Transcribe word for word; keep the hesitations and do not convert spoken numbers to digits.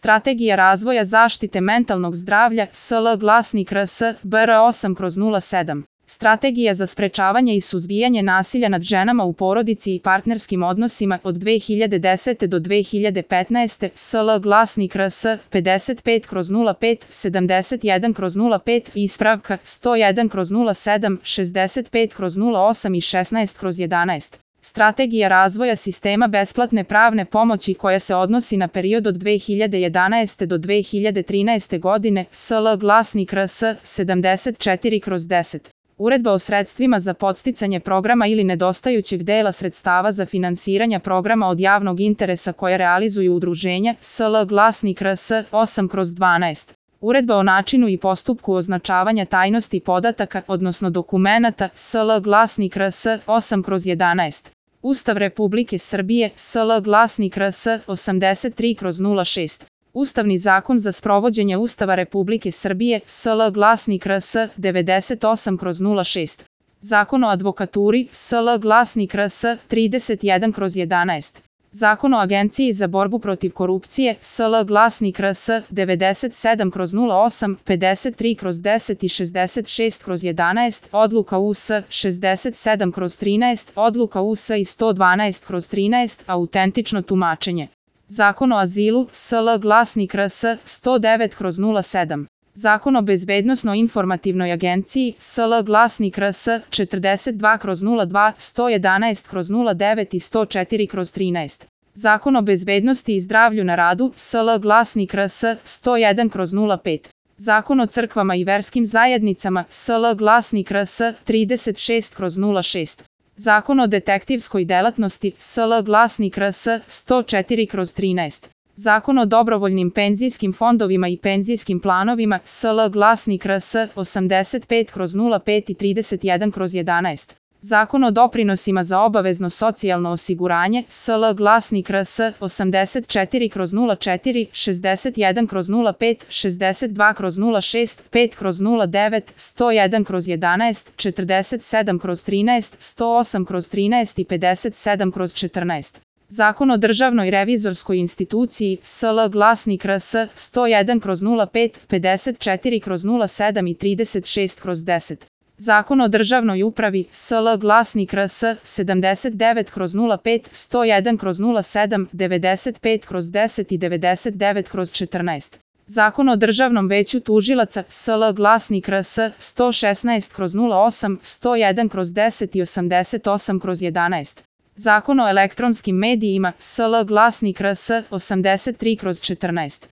Strategija razvoja zaštite mentalnog zdravlja, S L Glasnik R S B R osam kroz nula sedam. Strategija za sprečavanje i suzbijanje nasilja nad ženama u porodici i partnerskim odnosima od dve hiljade desete do dve hiljade petnaeste. S L Glasnik R S pedeset pet kroz nula pet, sedamdeset jedan kroz nula pet, ispravka sto jedan kroz nula sedam, šezdeset pet kroz nula osam i šesnaest kroz jedanaest. Strategija razvoja sistema besplatne pravne pomoći koja se odnosi na period od dve hiljade jedanaeste do dve hiljade trinaeste godine. S L Glasnik R S sedamdeset četiri kroz deset. Uredba o sredstvima za podsticanje programa ili nedostajućeg dela sredstava za finansiranje programa od javnog interesa koje realizuju udruženja. S L Glasnik R S osam kroz dvanaest. Uredba o načinu i postupku označavanja tajnosti podataka, odnosno dokumenata. S L Glasnik R S osam kroz jedanaest. Ustav Republike Srbije. S L Glasnik R S osamdeset tri kroz nula šest. Ustavni zakon za sprovođenje Ustava Republike Srbije. S L Glasnik R S devedeset osam kroz nula šest. Zakon o advokaturi. S L Glasnik R S trideset jedan kroz jedanaest. Zakon o Agenciji za borbu protiv korupcije. S L Glasnik R S devedeset sedam kroz nula osam, pedeset tri kroz deset i šezdeset šest kroz jedanaest, Odluka U S šezdeset sedam kroz trinaest, Odluka U S i sto dvanaest kroz trinaest, autentično tumačenje. Zakon o azilu. S L Glasnik R S sto devet kroz nula sedam. Zakon o bezbednosno-informativnoj agenciji. S L Glasnik R S četrdeset dva kroz nula dva, sto jedanaest kroz nula devet i sto četiri kroz trinaest. Zakon o bezbednosti i zdravlju na radu. S L Glasnik R S sto jedan kroz nula pet. Zakon o crkvama i verskim zajednicama. S L Glasnik R S trideset šest kroz nula šest. Zakon o detektivskoj delatnosti. S L Glasnik R S sto četiri kroz trinaest. Zakon o dobrovoljnim penzijskim fondovima i penzijskim planovima. S L Glasnik R S osamdeset pet kroz nula pet i trideset jedan kroz jedanaest. Zakon o doprinosima za obavezno socijalno osiguranje. S L Glasnik R S osamdeset četiri kroz nula četiri, šezdeset jedan kroz nula pet, šezdeset dva kroz nula šest, pet kroz nula devet, sto jedan kroz jedanaest, četrdeset sedam kroz trinaest, sto osam kroz trinaest i pedeset sedam kroz četrnaest. Zakon o državnoj revizorskoj instituciji. S L Glasnik R S sto jedan kroz nula pet, pedeset četiri kroz nula sedam i trideset šest kroz deset. Zakon o državnoj upravi. S L Glasnik R S sedamdeset devet kroz nula pet, sto jedan kroz nula sedam, devedeset pet kroz deset i devedeset devet kroz četrnaest. Zakon o državnom veću tužilaca. S L Glasnik R S sto šesnaest kroz nula osam, sto jedan kroz deset i osamdeset osam kroz jedanaest. Zakon o elektronskim medijima. S L Glasnik R S osamdeset tri kroz četrnaest.